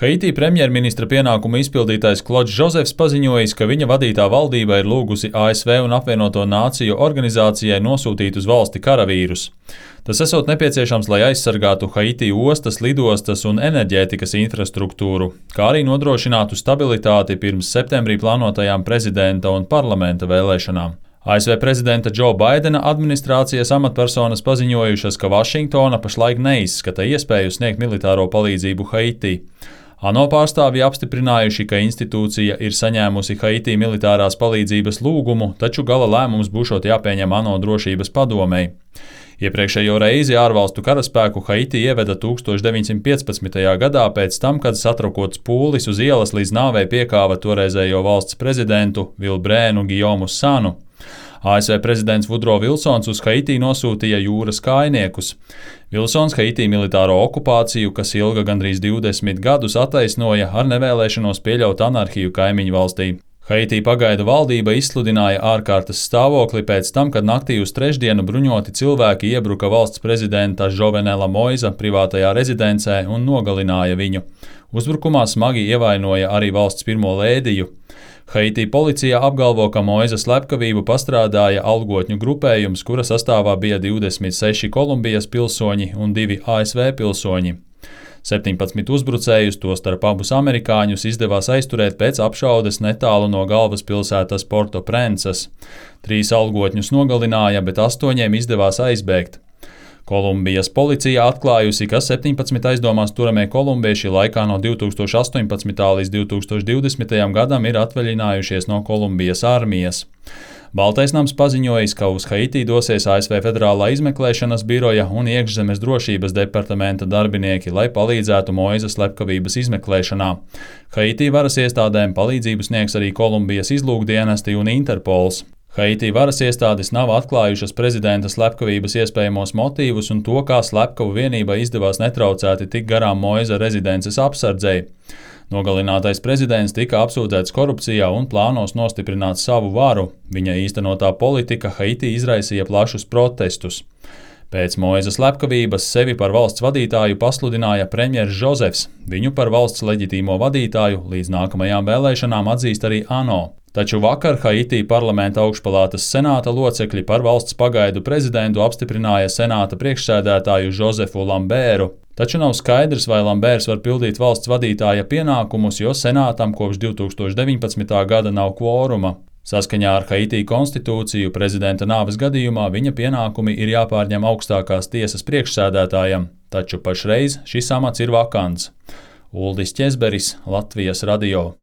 Haitī premjerministra pienākumu izpildītājs Klods Žozefs paziņojis, ka viņa vadītā valdība ir lūgusi ASV un Apvienoto Nāciju organizācijai nosūtīt uz valsti karavīrus. Tas esot nepieciešams, lai aizsargātu Haitī ostas, lidostas un enerģētikas infrastruktūru, kā arī nodrošinātu stabilitāti pirms septembrī plānotajām prezidenta un parlamenta vēlēšanām. ASV prezidenta Džo Baidena administrācijas amatpersonas paziņojušas, ka Vašingtona pašlaik neizskata iespēju sniegt militāro palīdzību Haitī. ANO pārstāvji apstiprinājuši, ka institūcija ir saņēmusi Haitī militārās palīdzības lūgumu, taču gala lēmums būšot jāpieņem ANO drošības padomei. Iepriekšējo reizi ārvalstu karaspēku Haitī ieveda 1915. gadā pēc tam, kad satrakots pūlis uz ielas līdz nāvei piekāva toreizējo valsts prezidentu Vilbrēnu Gijomu Sanu. ASV prezidents Vudro Vilsons uz Haitī nosūtīja jūras kājniekus. Vilsons Haitī militāro okupāciju, kas ilga gandrīz 20 gadus, attaisnoja ar nevēlēšanos pieļaut anarhiju kaimiņu valstī. Haitī pagaidu valdība izsludināja ārkārtas stāvokli pēc tam, kad naktī uz trešdienu bruņoti cilvēki iebruka valsts prezidenta Žovenela Moiza privātajā rezidencē un nogalināja viņu. Uzbrukumā smagi ievainoja arī valsts pirmo lēdiju. Haitī policija apgalvo, ka Moiza slepkavību pastrādāja algotņu grupējums, kura sastāvā bija 26 Kolumbijas pilsoņi un 2 ASV pilsoņi. 17 uzbrucējus, tostarp abus amerikāņus, izdevās aizturēt pēc apšaudes netālu no galvaspilsētas Porto-Prences. 3 algotņus nogalināja, bet 8 izdevās aizbēgt. Kolumbijas policija atklājusi, ka 17 aizdomās turamie kolumbieši laikā no 2018. līdz 2020. gadam ir atvaļinājušies no Kolumbijas armijas. Baltais nams paziņojis, ka uz Haitī dosies ASV Federālā izmeklēšanas biroja un iekšzemes drošības departamenta darbinieki, lai palīdzētu Moiza slepkavības izmeklēšanā. Haitī varas iestādēm palīdzību sniegs arī Kolumbijas izlūkdienesti un Interpols. Haitī varas iestādes nav atklājušas prezidenta slepkavības iespējamos motīvus un to, kā slepkavu vienībai izdevās netraucēti tik garām Moiza rezidences apsardzei. Nogalinātais prezidents tika apsūdzēts korupcijā un plānos nostiprināt savu varu. Viņa īstenotā politika Haitī izraisīja plašus protestus. Pēc Moiza slepkavības sevi par valsts vadītāju pasludināja premjers Žozefs. Viņu par valsts leģitīmo vadītāju līdz nākamajām vēlēšanām atzīst arī ANO. Taču vakar Haitī parlamenta augšpalātas senāta locekļi par valsts pagaidu prezidentu apstiprināja senāta priekšsēdētāju Žozefu Lambēru. Taču nav skaidrs, vai Lambērs var pildīt valsts vadītāja pienākumus, jo senātam kopš 2019. gada nav kvoruma. Saskaņā ar Haitī konstitūciju prezidenta nāves gadījumā viņa pienākumi ir jāpārņem augstākās tiesas priekšsēdētājam, taču pašreiz šis amats ir vakants. Uldis Ķezberis, Latvijas radio.